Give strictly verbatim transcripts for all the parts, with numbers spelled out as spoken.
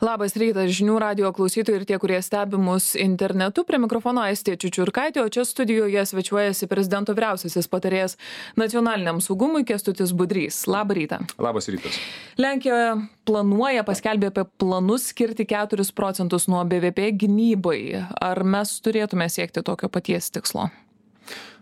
Labas rytas žinių radijo klausytojai ir tie, kurie stebi mus internetu. Prie mikrofono Aistė Čiučiurkaitė, o čia studijoje svečiuojasi prezidento vyriausiasis patarėjas nacionaliniam saugumui Kęstutis Budrys. Labą rytą. Labas rytas. Lenkija planuoja, paskelbė apie planus skirti keturis procentus nuo B V P gynybai. Ar mes turėtume siekti tokio paties tikslo?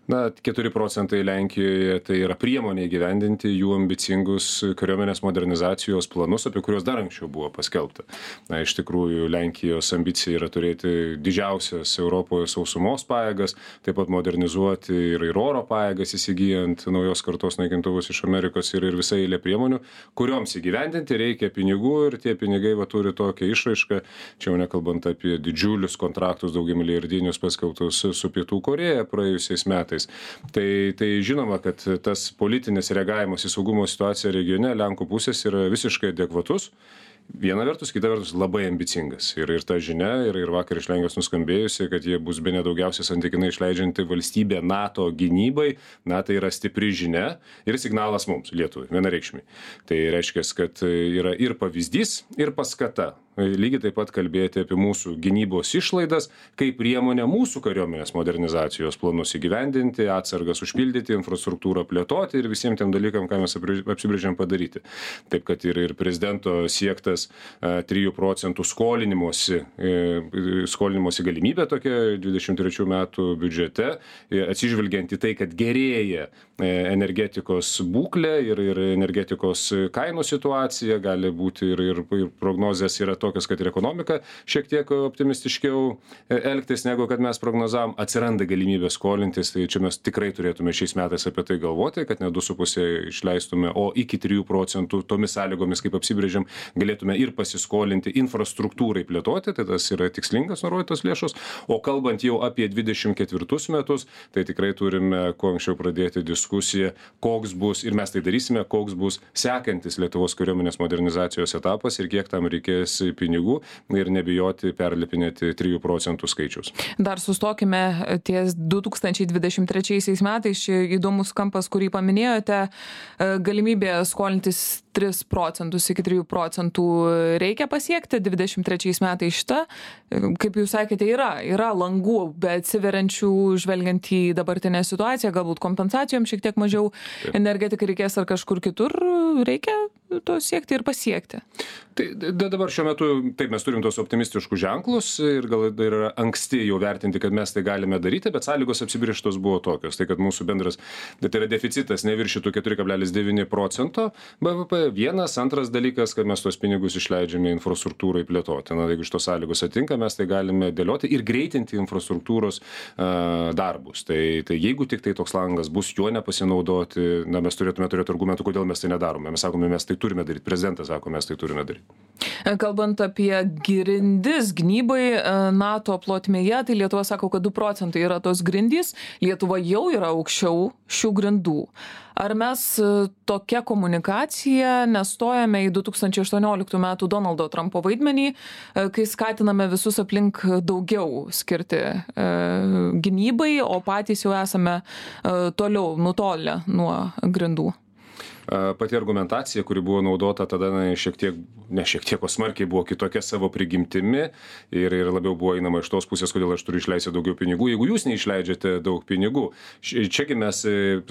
Na, keturi procentai Lenkijoje tai yra priemonė įgyvendinti jų ambicingus kariuomenės modernizacijos planus, apie kuriuos dar anksčiau buvo paskelbta. Na, iš tikrųjų, Lenkijos ambicija yra turėti didžiausias Europoje sausumos pajėgas, taip pat modernizuoti ir, ir oro pajėgas įsigijant naujos kartos naikintuvus iš Amerikos ir, ir visai eilė priemonių, kurioms įgyvendinti reikia pinigų ir tie pinigai va, turi tokią išraišką, čia jau nekalbant apie didžiulius kontraktus daugiamilijardinius paskelbtus su Pietų Korėja praėjusiais metais. Tai, tai žinoma, kad tas politinis reagavimas į saugumo situaciją regione Lenkų pusės yra visiškai adekvatus. Viena vertus, kita vertus labai ambicingas. Ir, ir ta žinia, ir, ir vakar iš Lenkijos nuskambėjusi, kad jie bus bene daugiausiai santykinai išleidžianti valstybė NATO gynybai. Na, tai yra stipri žinia ir signalas mums, Lietuvai, vienareikšmiai. Tai reiškia, kad yra ir pavyzdys, ir paskata. Lygiai taip pat kalbėti apie mūsų gynybos išlaidas, kaip priemonė mūsų kariuomenės modernizacijos planus įgyvendinti, atsargas užpildyti, infrastruktūrą plėtoti ir visiems tiem dalykam, ką mes apsibrėžėm padaryti. Taip, kad ir, ir prezidento siektas trijų procentų skolinimosi, skolinimosi galimybė tokia dvidešimt trečių metų biudžete, atsižvelgiant į tai, kad gerėja energetikos būklė ir, ir energetikos kainų situacija, gali būti ir, ir, ir prognozės yra tokios, kad ir ekonomika šiek tiek optimistiškiau elgtis, negu kad mes prognozavom, atsiranda galimybė skolintis, tai čia mes tikrai turėtume šiais metais apie tai galvoti, kad ne du su puse išleistume, o iki trijų procentų tomis sąlygomis, kaip apsibrėžėm, galėtume ir pasiskolinti infrastruktūrai plėtoti, tai tas yra tikslingas nurodytos lėšos, o kalbant jau apie dvidešimt ketvirtus metus, tai tikrai turime kuo anksčiau pradėti diskusiją, koks bus, ir mes tai darysime, koks bus sekantis Lietuvos kariuomenės modernizacijos etapas ir kiek tam reikės pinigų ir nebijoti perlipinėti trijų procentų skaičius. Dar sustokime ties du tūkstančiai dvidešimt trečiaisiais metais, ši įdomus kampas, kurį paminėjote, galimybė skolintis tris procentus iki trijų procentų reikia pasiekti dvidešimt trečiais metais šitą. Kaip jūs sakėte, yra, yra langų, bet atsiveriančių žvelgiant į dabartinę situaciją, galbūt kompensacijom šiek tiek mažiau energetikai reikės ar kažkur kitur, reikia to siekti ir pasiekti. Tai dabar šiuo metu, taip, mes turim tos optimistiškus ženklus ir gal yra anksti jau vertinti, kad mes tai galime daryti, bet sąlygos apsibrėžtos buvo tokios. Tai kad mūsų bendras, tai yra deficitas neviršytų keturi kablelis devyni procento B V P. Vienas, antras dalykas, kad mes tos pinigus išleidžiame infrastruktūrai plėtoti. Na, jeigu iš tos sąlygos atinka, mes tai galime dėlioti ir greitinti infrastruktūros uh, darbus. Tai, tai jeigu tik tai toks langas bus, juo nepasinaudoti, na, mes turėtume turėti argumentų, kodėl mes tai nedarome. Mes sakome, mes tai turime daryti. Prezidentas sako, mes tai turime daryti. Kalbant apie grindis gynybai NATO plotmėje, tai Lietuva sako, kad du procentai yra tos grindys. Lietuva jau yra aukščiau šių grindų. Ar mes tokia komunikacija nestojame į du tūkstančiai aštuonioliktų metų Donaldo Trumpo vaidmenį, kai skatiname visus aplink daugiau skirti e, gynybai, o patys jau esame e, toliau nutolę nuo grindų? Pati argumentacija, kuri buvo naudota tada, na, šiek tiek, ne šiek tiek, o smarkiai buvo kitokia savo prigimtimi ir, ir labiau buvo einama iš tos pusės, kodėl aš turiu išleisti daugiau pinigų, jeigu jūs neišleidžiate daug pinigų. Čiagi mes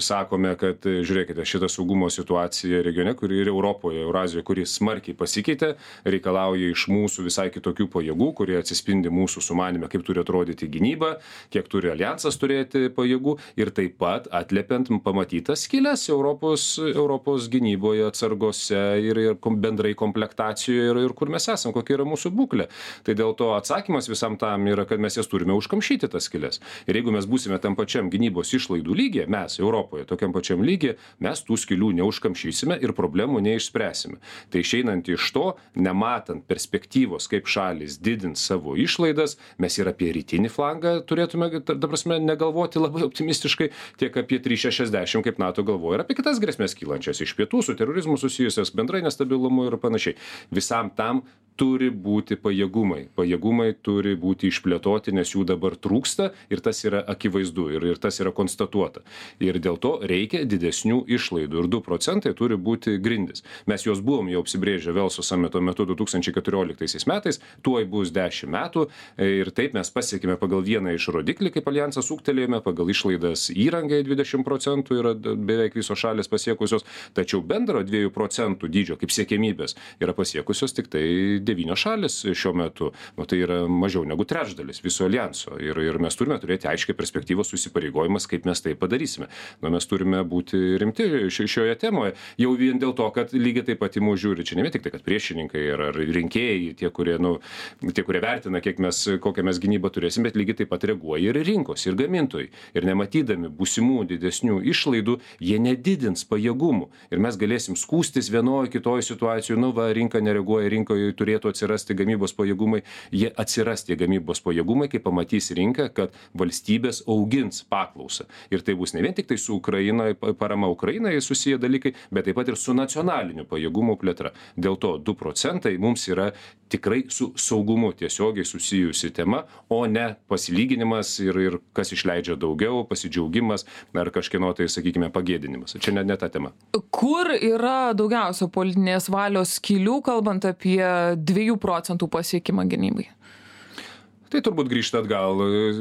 sakome, kad žiūrėkite, šitą saugumo situaciją regione, kuri ir Europoje, Eurazijoje, kuri smarkiai pasikeitė, reikalauja iš mūsų visai kitokių pajėgų, kurie atsispindi mūsų sumanime, kaip turi atrodyti gynyba, kiek turi alijansas turėti pajėgų ir taip pat atliepiant pamatytas skylės Europos, Europos gynyboje, atsargose ir, ir bendrai komplektacijoje ir, ir kur mes esam, kokia yra mūsų būklė. Tai dėl to atsakymas visam tam yra, kad mes jas turime užkamšyti tas skylės. Ir jeigu mes būsime tam pačiam gynybos išlaidų lygyje, mes Europoje tokiam pačiam lygyje, mes tų skylių neužkamšysime ir problemų neišspręsime. Tai išeinant iš to, nematant perspektyvos, kaip šalis didins savo išlaidas, mes ir apie rytinį flangą turėtume, ta prasme, negalvoti labai optimistiškai, tiek apie trys šešiasdešimt, kaip NATO galvoja, ir apie kitas grėsmės kylančias agresijos iš pietų, su terorizmu susijusias, bendrai nestabilumu ir panašiai. Visam tam turi būti pajėgumai. Pajėgumai turi būti išplėtoti, nes jų dabar trūksta ir tas yra akivaizdu ir, ir tas yra konstatuota. Ir dėl to reikia didesnių išlaidų ir du procentai turi būti grindis. Mes juos buvom jau apsibrėžę Velso samito metu du tūkstančiai keturioliktaisiais metais, tuoj bus dešimt metų ir taip mes pasiekime pagal vieną iš rodiklį, kaip alijansas ūgtelėjome, pagal išlaidas įrangai dvidešimt procentų yra beveik visos šalės pasiekusios, tačiau bendro dviejų procentų dydžio kaip siekiamybės yra pasiekusios tik tai devynios šalis šiuo metu, o tai yra mažiau negu trečdalis viso alijanso ir, ir mes turime turėti aiškiai perspektyvos susipareigojimas, kaip mes tai padarysime. Nu, mes turime būti rimti šioje temoje, jau vien dėl to, kad lygiai taip pat į mus žiūri, čia ne vien tik tai, kad priešininkai ar, ar rinkėjai, tie kurie, nu, tie, kurie vertina, kiek mes, kokią mes gynybą turėsim, bet lygiai taip pat reaguoja ir rinkos, ir gamintojai. Ir nematydami būsimų didesnių išlaidų, jie nedidins pajėgumų. Ir mes galėsim skūstis vienoje kitoje situacijoje, nu va, rinka nereaguoja, rinkoje turėtų atsirasti gamybos pajėgumai, jie atsiras tie gamybos pajėgumai, kai pamatys rinka, kad valstybės augins paklausą. Ir tai bus ne vien tik tai su Ukraina, parama Ukrainai susiję dalykai, bet taip pat ir su nacionaliniu pajėgumu plėtra. Dėl to du procentai mums yra tikrai su saugumu tiesiogiai susijusi tema, o ne pasilyginimas ir, ir kas išleidžia daugiau, pasidžiaugimas ar kažkieno tai, sakykime, pagėdinimas. Čia ne, ne ta tema. Kur yra daugiausia politinės valios skylių, kalbant apie dviejų procentų pasiekimą gynybai? Tai turbūt grįžta atgal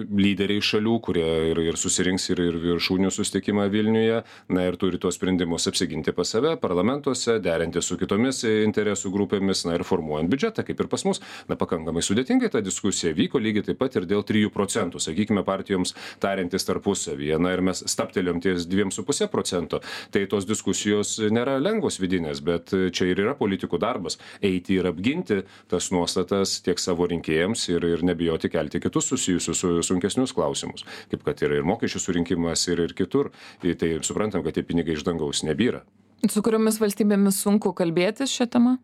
lyderiai šalių, kurie ir, ir susirinks ir, ir viršūnių susitikimą Vilniuje, na ir turi tuos sprendimus apsiginti pas save, parlamentuose, derinti su kitomis interesų grupėmis, na ir formuojant biudžetą, kaip ir pas mus. Na, pakankamai sudėtingai ta diskusija vyko, lygiai taip pat ir dėl trijų procentų, sakykime, partijoms tariantis tarpusavyje, na ir mes staptelėm ties dviem su puse procento. Tai tos diskusijos nėra lengvos vidinės, bet čia ir yra politikų darbas - eiti ir apginti tas nuostatas tiek savo rinkėjams ir, ir nebijoti kelti kitus susijusius su sunkesnius klausimus, kaip kad yra ir mokesčių surinkimas ir, ir kitur. Tai suprantam, kad tie pinigai iš dangaus nebyra. Su kuriomis valstybėmis sunku kalbėtis šią temą?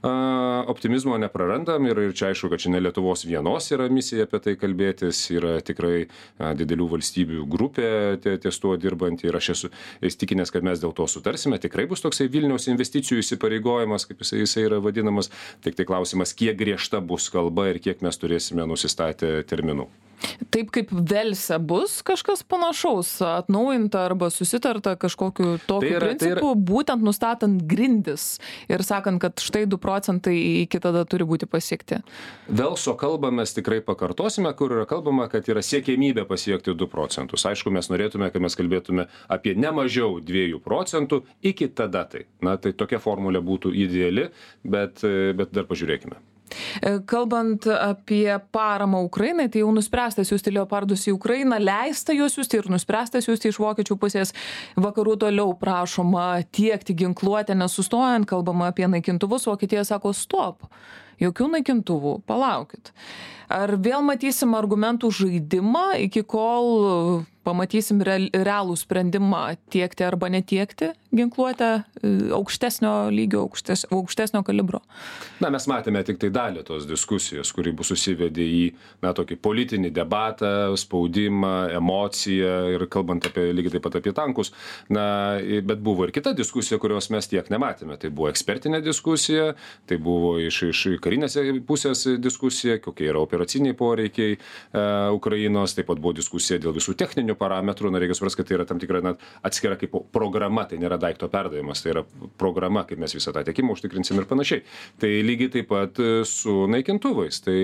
A, optimizmo neprarandam ir, ir čia aišku, kad čia ne Lietuvos vienos yra misija apie tai kalbėtis, yra tikrai a, didelių valstybių grupė ties tuo dirbant ir aš esu įstikinęs, kad mes dėl to sutarsime. Tikrai bus toksai Vilniaus investicijų įsipareigojimas, kaip jisai, jisai yra vadinamas, tik tai klausimas, kiek griežta bus kalba ir kiek mes turėsime nusistatę terminų. Taip kaip Velse bus kažkas panašaus, atnaujinta arba susitarta kažkokiu tokiu tai yra, principu, tai yra... būtent nustatant grindis ir sakant, kad štai du procentai iki tada turi būti pasiekti. Velso kalbą mes tikrai pakartosime, kur yra kalbama, kad yra siekiamybė pasiekti du procentus. Aišku, mes norėtume, kad mes kalbėtume apie ne mažiau dviejų procentų iki tada tai. Na, tai tokia formulė būtų ideali, bet, bet dar pažiūrėkime. Kalbant apie paramą Ukrainai, tai jau nuspręsta siųsti leopardus į Ukrainą, leista juos siųsti ir nuspręsta siųsti iš vokiečių pusės. Vakarų toliau prašoma tiekti ginkluotę nesustojant, kalbama apie naikintuvus, Vokietija sako stop, jokių naikintuvų, palaukit. Ar vėl matysim argumentų žaidimą, iki kol pamatysim realų sprendimą tiekti arba netiekti ginkluotę aukštesnio lygio, aukštes, aukštesnio kalibro? Na, mes matėme tik tai dalį tos diskusijos, kuri bus susivedė į, na, tokį politinį debatą, spaudimą, emociją ir kalbant apie, lygiai taip pat apie tankus. Na, bet buvo ir kita diskusija, kurios mes tiek nematėme. Tai buvo ekspertinė diskusija, tai buvo iš, iš karinės pusės diskusija, kokie yra operaciniai poreikiai e, Ukrainos, taip pat buvo diskusija dėl visų techninių parametrų, na, reikia suprasti, kad tai yra tam tikra na, atskira kaip programa, tai nėra daikto perdavimas, tai yra programa, kaip mes visą tą tiekimą užtikrinsim ir panašiai. Tai lygiai taip pat su naikintuvais, tai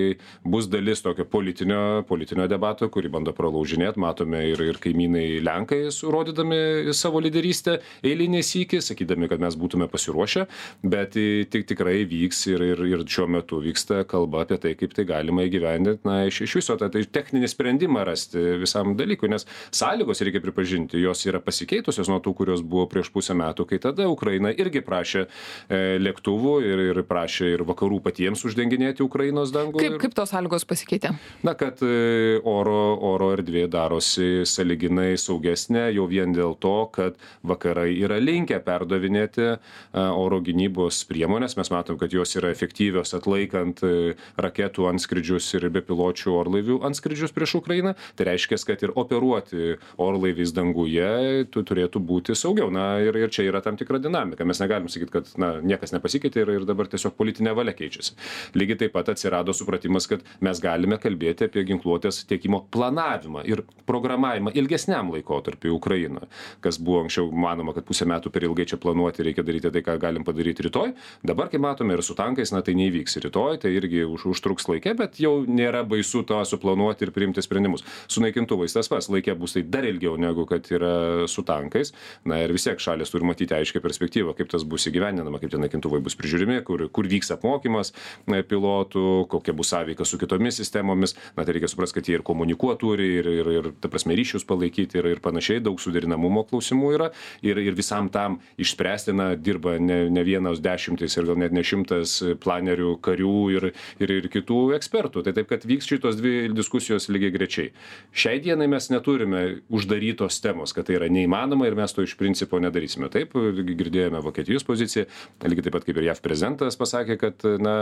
bus dalis tokio politinio, politinio debato, kurį bando pralaužinėti, matome ir, ir kaimynai Lenkai surodydami savo lyderystę eilinį sykį, sakydami, kad mes būtume pasiruošę, bet tik tikrai vyks ir, ir, ir šiuo metu vyksta kalba apie tai, kaip tai galima įgyvendinti, na, iš, iš viso tą tai techninį sprendimą rasti visam dalykui, nes sąlygos, reikia pripažinti, jos yra pasikeitusios nuo tų, kurios buvo prieš pusę metų, kai tada Ukraina irgi prašė e, lėktuvų ir, ir prašė ir vakarų patiems uždenginėti Ukrainos dangų. Kaip, ir... kaip tos sąlygos pasikeitė? Na, kad e, oro, oro erdvė darosi sąlyginai saugesnė jau vien dėl to, kad vakarai yra linkę perdavinėti e, oro gynybos priemonės. Mes matom, kad jos yra efektyvios atlaikant e, raketų antskridžius ir bepiločių orlaivių antskridžius prieš Ukrainą. Tai reiškia, kad ir operuoti pilotuoti orlaiviais danguje, tu turėtų būti saugiau. Na ir, ir čia yra tam tikra dinamika. Mes negalim sakyti, kad na, niekas nepasikeitė ir, ir dabar tiesiog politinė valia keičiasi. Lygiai taip pat atsirado supratimas, kad mes galime kalbėti apie ginkluotės tiekimo planavimą ir programavimą ilgesniam laikotarpiu Ukrainoje. Kas buvo anksčiau manoma, kad pusę metų per ilgai čia planuoti, reikia daryti tai, ką galim padaryti rytoj. Dabar, kai matome ir su tankais, na tai neįvyks rytoj, tai irgi už, užtruks laikė, bet jau nėra baisu to suplanuoti ir priimti sprendimus. Su naikintuvais tas pats, laikė bus tai dar ilgiau negu kad yra su tankais. Na ir vis tiek šalis turi matyti aiškią perspektyvą, kaip tas bus įgyvendinama, kaip tie naikintuvai bus prižiūrimi, kur, kur vyks apmokymas pilotų, kokia bus sąveika su kitomis sistemomis. Na tai reikia suprasti, kad jie ir komunikuoti turi, ir, ir, ir ta prasme, ryšius palaikyti, ir, ir panašiai, daug suderinamumo klausimų yra. Ir, ir visam tam išspręsti, na, dirba ne, ne vienas dešimtis ir gal net ne šimtas planerių, karių ir, ir, ir kitų ekspertų. Tai taip, kad vyks šitos dvi diskusijos lygiai grečiai. Šiai dienai mes neturime uždarytos temos, kad tai yra neįmanoma ir mes to iš principo nedarysime. Taip, girdėjome Vokietijos poziciją, lygiai taip pat kaip ir J A V prezidentas pasakė, kad na,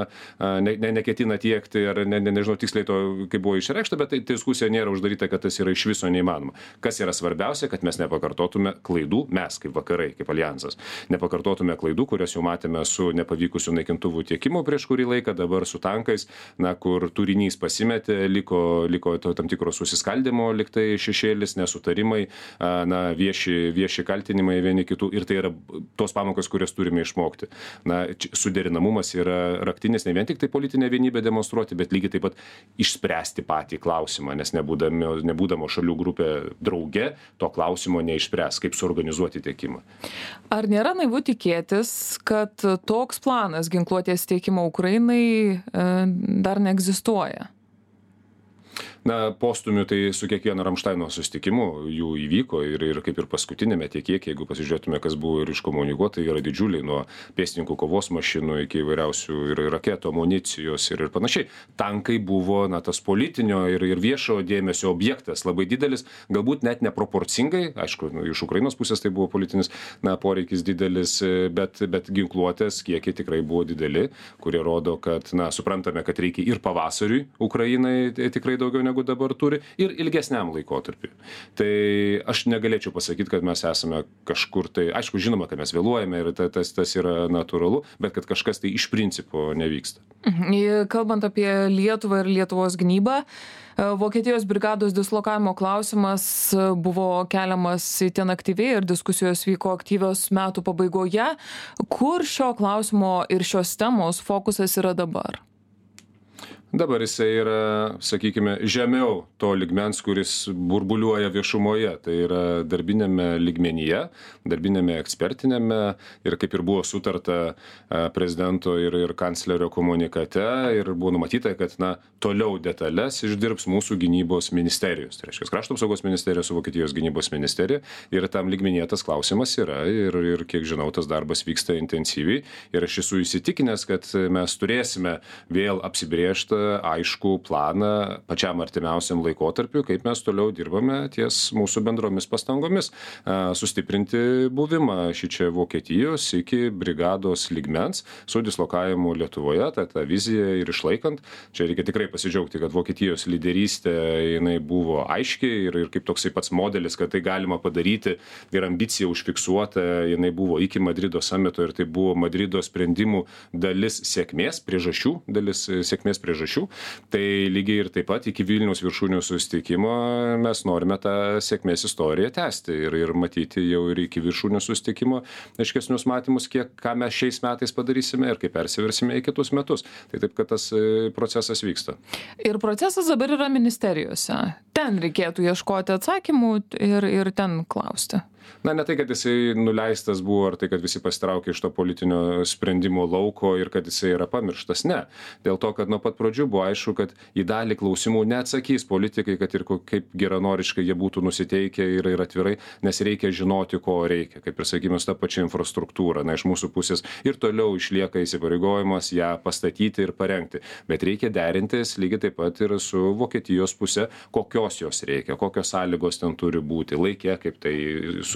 ne, ne, neketina tiekti, ar ne, ne, nežinau tiksliai to, kaip buvo išreikšta, bet tai diskusija nėra uždaryta, kad tas yra iš viso neįmanoma. Kas yra svarbiausia, kad mes nepakartotume klaidų, mes kaip vakarai, kaip alijansas, nepakartotume klaidų, kurias jau matėme su nepavykusiu naikintuvų tiekimu prieš kurį laiką, dabar su tankais, na, kur turinys pasimetė, liko, liko to, tam tikro susiskaldimo liktai šešėlis, nesutarimai, na, vieši, vieši kaltinimai vieni kitų ir tai yra tos pamokos, kurias turime išmokti. Na, suderinamumas yra raktinis, ne vien tik tai politinė vienybė demonstruoti, bet lygiai taip pat išspręsti patį klausimą, nes nebūdami, nebūdamo šalių grupė drauge to klausimo neišspręs, kaip suorganizuoti tiekimą. Ar nėra naivu tikėtis, kad toks planas ginkluotės tiekimo Ukrainai e, dar neegzistuoja? Na, postumių tai su kiekvieno Ramštaino susitikimu jų įvyko ir, ir kaip ir paskutinėme tiek kiek, jeigu pasižiūrėtume, kas buvo ir iškomunikuota, yra didžiuliai nuo pėstininkų kovos mašinų iki įvairiausių ir raketų, amunicijos ir, ir panašiai. Tankai buvo, na, tas politinio ir, ir viešo dėmesio objektas labai didelis, galbūt net neproporcingai, aišku, iš Ukrainos pusės tai buvo politinis, na, poreikis didelis, bet, bet ginkluotės kiekiai tikrai buvo dideli, kurie rodo, kad, na, suprantame, kad reikia ir pavasariui Ukrainai tikrai daugiau negu dabar turi, ir ilgesniam laikotarpiu. Tai aš negalėčiau pasakyti, kad mes esame kažkur tai, aišku, žinoma, kad mes vėluojame ir tas, tas yra natūralu, bet kad kažkas tai iš principo nevyksta. Kalbant apie Lietuvą ir Lietuvos gynybą, Vokietijos brigados dislokavimo klausimas buvo keliamas itin aktyviai ir diskusijos vyko aktyvios metų pabaigoje. Kur šio klausimo ir šios temos fokusas yra dabar? Dabar jisai yra, sakykime, žemiau to lygmens, kuris burbuliuoja viešumoje. Tai yra darbinėme lygmenyje, darbinėme ekspertinėme ir kaip ir buvo sutarta prezidento ir, ir kanclerio komunikate ir buvo numatyta, kad na, toliau detalės išdirbs mūsų gynybos ministerijos. Tai reiškia, krašto apsaugos ministerija su Vokietijos gynybos ministerija ir tam lygmenyje tas klausimas yra ir, ir kiek žinau, tas darbas vyksta intensyviai ir aš esu įsitikinęs, kad mes turėsime vėl apsibrėžtą aišku planą pačiam artimiausiam laikotarpiu, kaip mes toliau dirbame ties mūsų bendromis pastangomis sustiprinti buvimą šičia Vokietijos iki brigados lygmens su dislokavimu Lietuvoje, tą, tą viziją ir išlaikant. Čia reikia tikrai pasidžiaugti, kad Vokietijos lyderystė jinai buvo aiški ir, ir kaip toksai pats modelis, kad tai galima padaryti ir ambicija užfiksuota, jinai buvo iki Madrido samito ir tai buvo Madrido sprendimų dalis sėkmės priežasčių, dalis sėkmės priežasčių. Tai lygiai ir taip pat iki Vilniaus viršūnių susitikimo mes norime tą sėkmės istoriją tęsti ir, ir matyti jau ir iki viršūnių susitikimo aiškesnius matymus, kiek ką mes šiais metais padarysime ir kaip persiversime į kitus metus. Tai taip, kad tas procesas vyksta. Ir procesas dabar yra ministerijose. Ten reikėtų ieškoti atsakymų ir, ir ten klausti. Na, ne tai, kad jisai nuleistas buvo, ar tai, kad visi pasitraukė iš to politinio sprendimo lauko ir kad jisai yra pamirštas. Ne. Dėl to, kad nuo pat pradžių buvo aišku, kad į dalį klausimų neatsakys politikai, kad ir kaip geranoriškai jie būtų nusiteikę ir, ir atvirai, nes reikia žinoti, ko reikia. Kaip ir sakykime, tą pačią infrastruktūrą. Na, iš mūsų pusės ir toliau išlieka įsipareigojimas ją pastatyti ir parengti. Bet reikia derintis lygiai taip pat ir su Vokietijos pusė, kokios jos reikia, kokios sąlygos ten turi būti, laikė, kaip tai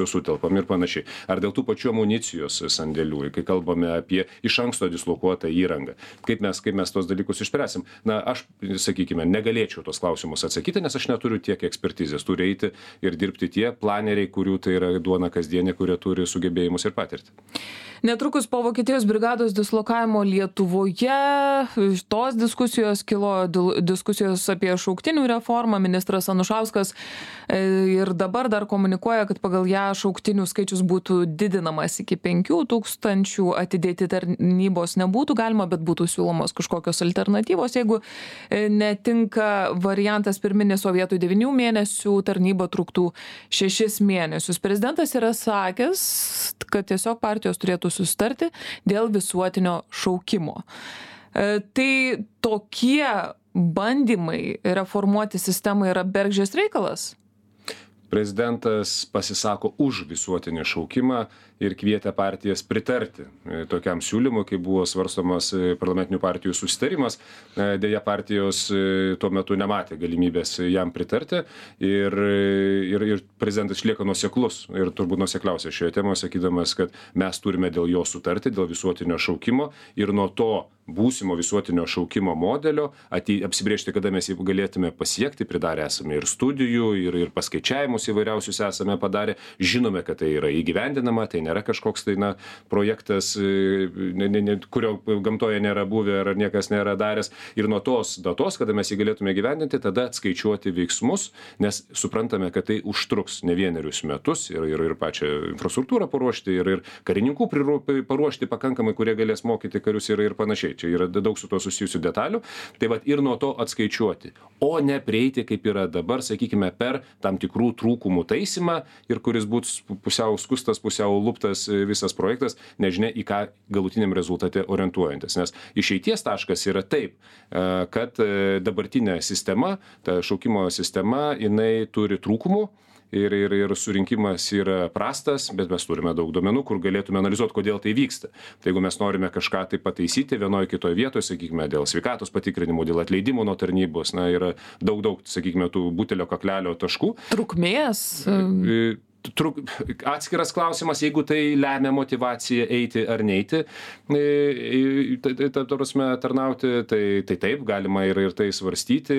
sutelpam ir panašiai. Ar dėl tų pačių amunicijos sandėlių, kai kalbame apie iš anksto dislokuotą įrangą. Kaip mes, kaip mes tos dalykus išspręsim? Na, aš, sakykime, negalėčiau tos klausimus atsakyti, nes aš neturiu tiek ekspertizės. Turi eiti ir dirbti tie planeriai, kurių tai yra duona kasdienė, kurie turi sugebėjimus ir patirtį. Netrukus po Vokietijos brigados dislokavimo Lietuvoje tos diskusijos kilo diskusijos apie šauktinių reformą. Ministras Anušauskas ir dabar dar komunikuoja, kad pagal ją šauktinių skaičius būtų didinamas iki penkių tūkstančių, atidėti tarnybos nebūtų galima, bet būtų siūlomos kažkokios alternatyvos. Jeigu netinka variantas pirminis, o vietoj devynių mėnesių tarnyba truktų šešis mėnesius. Prezidentas yra sakęs, kad tiesiog partijos turėtų sustarti dėl visuotinio šaukimo. Tai tokie bandymai reformuoti sistemą yra bergždžias reikalas? Prezidentas pasisako už visuotinį šaukimą ir kvietė partijas pritarti tokiam siūlymui, kai buvo svarstomas parlamentinių partijų susitarimas. Deja, partijos tuo metu nematė galimybės jam pritarti ir, ir, ir prezidentas išlieka nuoseklus ir turbūt nuosekliausia šioje temoje, sakydamas, kad mes turime dėl jo sutarti, dėl visuotinio šaukimo ir nuo to būsimo visuotinio šaukimo modelio atei, apsibriežti, kada mes jį galėtume pasiekti, pridarę esame ir studijų, ir, ir paskaičiavimus įvairiausius esame padarę, žinome, kad tai yra įgyvendinama, tai nėra kažkoks tai na, projektas, ne, ne, ne, kurio gamtoje nėra buvę ar niekas nėra daręs. Ir nuo tos datos, kada mes jį galėtume gyvendinti, tada atskaičiuoti veiksmus, nes suprantame, kad tai užtruks ne vienerius metus ir, ir, ir pačią infrastruktūrą paruošti, ir, ir karininkų paruošti pakankamai, kurie galės mokyti karius ir, ir panašiai. Čia yra daug su to susijusių detalių. Tai vat ir nuo to atskaičiuoti, o ne prieiti, kaip yra dabar, sakykime, per tam tikrų trūkumų taisymą ir kuris būtų pusiau skustas, pusiau luptas visas projektas, nežinia į ką galutiniam rezultate orientuojantis. Nes išeities taškas yra taip, kad dabartinė sistema, ta šaukimo sistema, jinai turi trūkumų. Ir, ir, ir surinkimas yra prastas, bet mes turime daug duomenų, kur galėtume analizuoti, kodėl tai vyksta. Tai jeigu mes norime kažką tai pataisyti vienoje kitoje vietoje, sakykime, dėl sveikatos patikrinimų, dėl atleidimų nuo tarnybos, na, yra daug, daug, sakykime, tų butelio kaklelio taškų. Trukmės. Truk, atskiras klausimas, jeigu tai lemia motivaciją eiti ar neiti, ta prasme tarnauti, tai, tai taip, galima ir, ir tai svarstyti,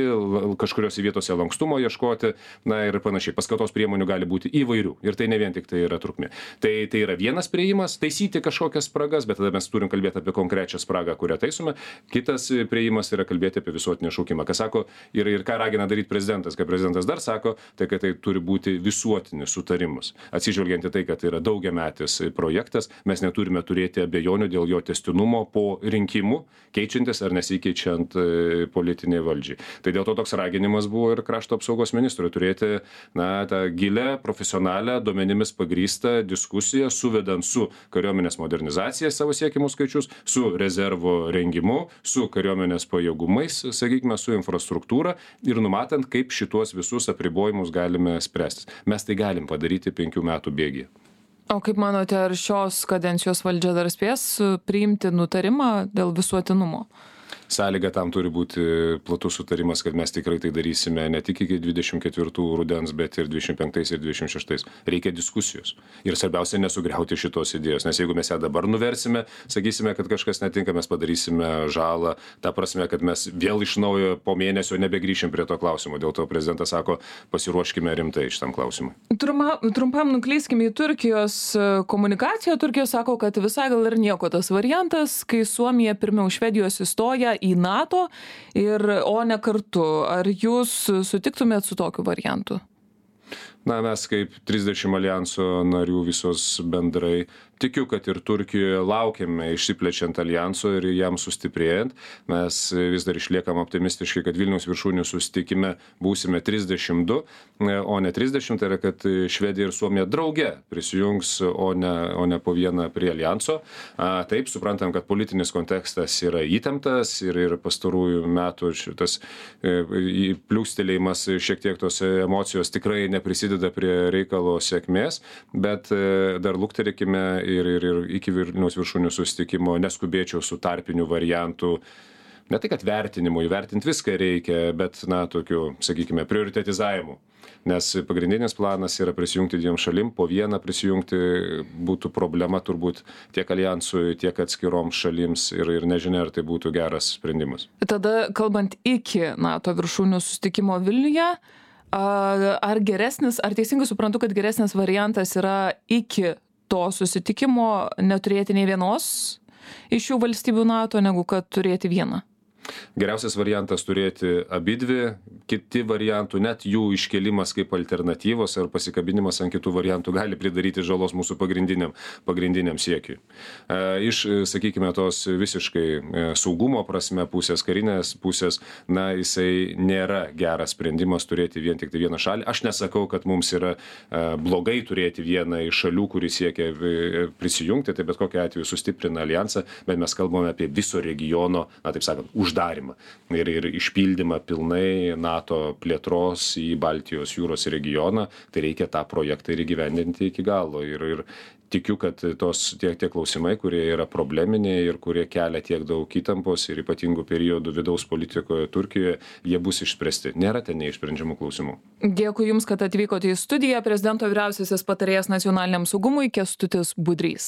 kažkuriuose vietose lankstumo ieškoti, na ir panašiai. Paskatos priemonių gali būti įvairių ir tai ne vien tik tai yra trukmė. Tai, tai yra vienas priėjimas, taisyti kažkokias spragas, bet tada mes turim kalbėti apie konkrečią spragą, kurią taisome. Kitas priėjimas yra kalbėti apie visuotinį šaukimą. Ką sako ir, ir ką ragina daryti prezidentas, ką prezidentas dar sako, tai kad tai turi būti visuotinis sutarimas. Atsižvelgiant į tai, kad tai yra daugiametis projektas, mes neturime turėti abejonių dėl jo tęstinumo po rinkimų, keičiantis ar nesikeičiant politiniai valdžiai. Tai dėl to toks raginimas buvo ir krašto apsaugos ministrui turėti na, tą gilę, profesionalią, duomenimis pagrįstą diskusiją, suvedant su kariuomenės modernizacija savo siekimus skaičius, su rezervo rengimu, su kariuomenės pajėgumais, sakykime, su infrastruktūra ir numatant, kaip šitos visus apribojimus galime spręsti. Mes tai galim padaryti penkių metų bėgyje. O kaip manote, ar šios kadencijos valdžia dar spės priimti nutarimą dėl visuotinumo? Sąlyga tam turi būti platus sutarimas, kad mes tikrai tai darysime ne tik iki dvidešimt ketvirtų rudens, bet ir dvidešimt penktais ir dvidešimt šeštais. Reikia diskusijos. Ir svarbiausia nesugriauti šitos idėjos, nes jeigu mes ją dabar nuversime, sakysime, kad kažkas netinka, mes padarysime žalą, ta prasme, kad mes vėl iš naujo po mėnesio nebegrįšim prie to klausimo. Dėl to prezidentas sako, pasiruoškime rimtai šitam klausimui. Trumpa, trumpam nuklyskime į Turkijos komunikaciją. Turkija sako, kad visai gal ir nieko tas variantas, kai Suomija pirmiau Švedijos įstoja į NATO, ir, o ne kartu. Ar jūs sutiktumėt su tokiu variantu? Na, mes kaip trisdešimt alijanso narių visos bendrai, tikiu, kad ir Turkijoje laukiame išsiplečiant alijanso ir jam sustiprėjant. Mes vis dar išliekam optimistiškai, kad Vilniaus viršūnių susitikime būsime trisdešimt du, o ne trisdešimt, tai yra, kad Švedija ir Suomija drauge prisijungs, o ne, o ne po vieną prie alijanso. A, taip, suprantam, kad politinis kontekstas yra įtemptas ir, ir pastarųjų metų šitas e, pliūstelėjimas, šiek tiek tos emocijos tikrai neprisideda prie reikalo sėkmės, bet e, dar lukterėkime ir, ir, ir iki Vilniaus viršūnių susitikimo neskubėčiau su tarpiniu variantu. ne tai kad vertinimu, įvertinti viską reikia, bet, na, tokiu, sakykime, prioritetizavimu. Nes pagrindinis planas yra prisijungti dviem šalim, po vieną prisijungti būtų problema turbūt tiek alijansui, tiek atskiroms šalims ir, ir nežinia, ar tai būtų geras sprendimas. Tada, kalbant iki NATO viršūnių susitikimo Vilniuje, ar geresnis, ar teisingai suprantu, kad geresnis variantas yra iki to susitikimo neturėti nei vienos iš šių valstybių NATO, negu kad turėti vieną? Geriausias variantas turėti abidvi, kiti variantų, net jų iškelimas kaip alternatyvos ar pasikabinimas ant kitų variantų gali pridaryti žalos mūsų pagrindiniam, pagrindiniam siekiui. Iš, sakykime, tos visiškai saugumo prasme pusės, karinės pusės, na, jisai nėra geras sprendimas turėti vien tik tai vieną šalį. Aš nesakau, kad mums yra blogai turėti vieną iš šalių, kuri siekia prisijungti, tai bet kokiu atveju sustiprina alijansą, bet mes kalbame apie viso regiono, na, taip sakant, uždarimą ir, ir išpildymą pilnai NATO plėtros į Baltijos jūros regioną, tai reikia tą projektą ir įgyvendinti iki galo. Ir, ir tikiu, kad tos tie, tie klausimai, kurie yra probleminiai ir kurie kelia tiek daug įtampos ir ypatingų periodų vidaus politikoje Turkijoje, jie bus išspręsti. Nėra ten neišsprendžiamų klausimų. Dėkui Jums, kad atvykote į studiją. Prezidento vyriausiasis patarėjas nacionaliniam saugumui Kęstutis Budrys.